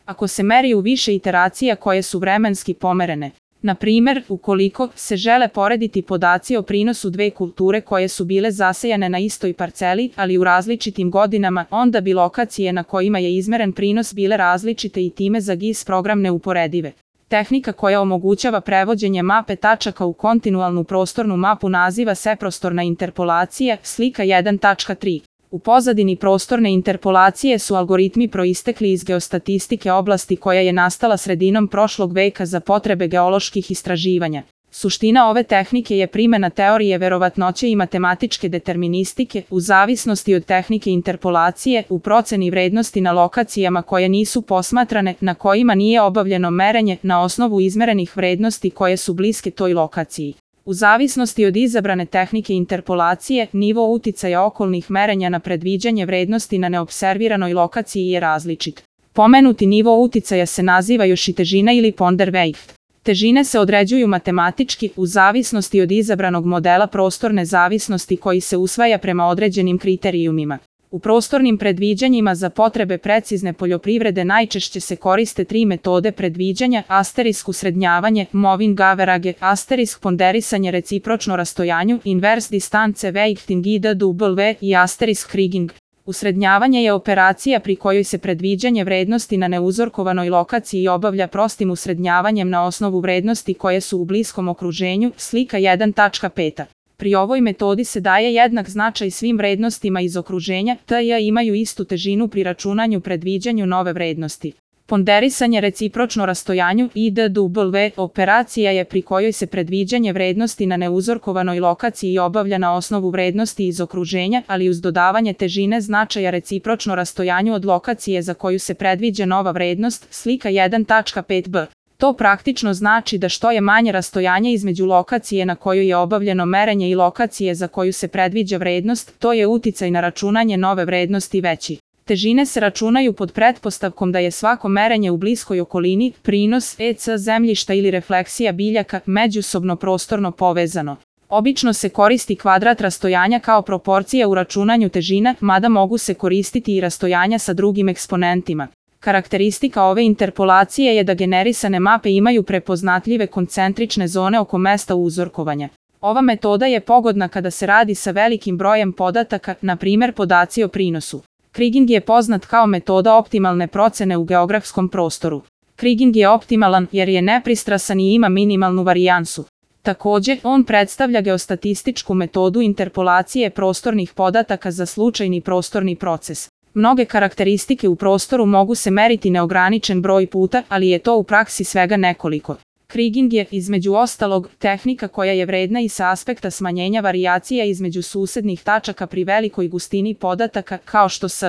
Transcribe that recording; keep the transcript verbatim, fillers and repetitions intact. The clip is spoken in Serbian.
ako se meri u više iteracija koje su vremenski pomerene. Na primer, ukoliko se žele porediti podaci o prinosu dve kulture koje su bile zasejane na istoj parceli, ali u različitim godinama, onda bi lokacije na kojima je izmeren prinos bile različite i time za G I S program neuporedive. Tehnika koja omogućava prevođenje mape tačaka u kontinualnu prostornu mapu naziva se prostorna interpolacija, slika jedan tačka tri. U pozadini prostorne interpolacije su algoritmi proistekli iz geostatistike oblasti koja je nastala sredinom prošlog veka za potrebe geoloških istraživanja. Suština ove tehnike je primjena teorije verovatnoće i matematičke deterministike, u zavisnosti od tehnike interpolacije, u proceni vrednosti na lokacijama koje nisu posmatrane, na kojima nije obavljeno merenje, na osnovu izmerenih vrednosti koje su bliske toj lokaciji. U zavisnosti od izabrane tehnike interpolacije, nivo uticaja okolnih merenja na predviđanje vrednosti na neobserviranoj lokaciji je različit. Pomenuti nivo uticaja se naziva još i težina ili Ponderweight. Težine se određuju matematički u zavisnosti od izabranog modela prostorne zavisnosti koji se usvaja prema određenim kriterijumima. U prostornim predviđanjima za potrebe precizne poljoprivrede najčešće se koriste tri metode predviđanja: asterisk usrednjavanje, moving average, asterisk ponderisanje recipročno rastojanju, inverse distance weighting I D W i asterisk kriging. Usrednjavanje je operacija pri kojoj se predviđanje vrednosti na neuzorkovanoj lokaciji obavlja prostim usrednjavanjem na osnovu vrednosti koje su u bliskom okruženju, slika jedan tačka pet. Pri ovoj metodi se daje jednak značaj svim vrednostima iz okruženja, te imaju istu težinu pri računanju predviđanju nove vrednosti. Ponderisanje recipročno rastojanju I D W operacija je pri kojoj se predviđanje vrednosti na neuzorkovanoj lokaciji obavlja na osnovu vrednosti iz okruženja, ali uz dodavanje težine značaja recipročno rastojanju od lokacije za koju se predviđa nova vrednost, slika jedan tačka pet b. To praktično znači da što je manje rastojanje između lokacije na kojoj je obavljeno merenje i lokacije za koju se predviđa vrednost, to je uticaj na računanje nove vrednosti veći. Težine se računaju pod pretpostavkom da je svako merenje u bliskoj okolini, prinos, E C zemljišta ili refleksija biljaka, međusobno prostorno povezano. Obično se koristi kvadrat rastojanja kao proporcija u računanju težina, mada mogu se koristiti i rastojanja sa drugim eksponentima. Karakteristika ove interpolacije je da generisane mape imaju prepoznatljive koncentrične zone oko mesta uzorkovanja. Ova metoda je pogodna kada se radi sa velikim brojem podataka, na primjer podaci o prinosu. Kriging je poznat kao metoda optimalne procene u geografskom prostoru. Kriging je optimalan jer je nepristrasan i ima minimalnu varijansu. Također, on predstavlja geostatističku metodu interpolacije prostornih podataka za slučajni prostorni proces. Mnoge karakteristike u prostoru mogu se meriti neograničen broj puta, ali je to u praksi svega nekoliko. Kriging je, između ostalog, tehnika koja je vredna i sa aspekta smanjenja varijacija između susednih tačaka pri velikoj gustini podataka, kao što s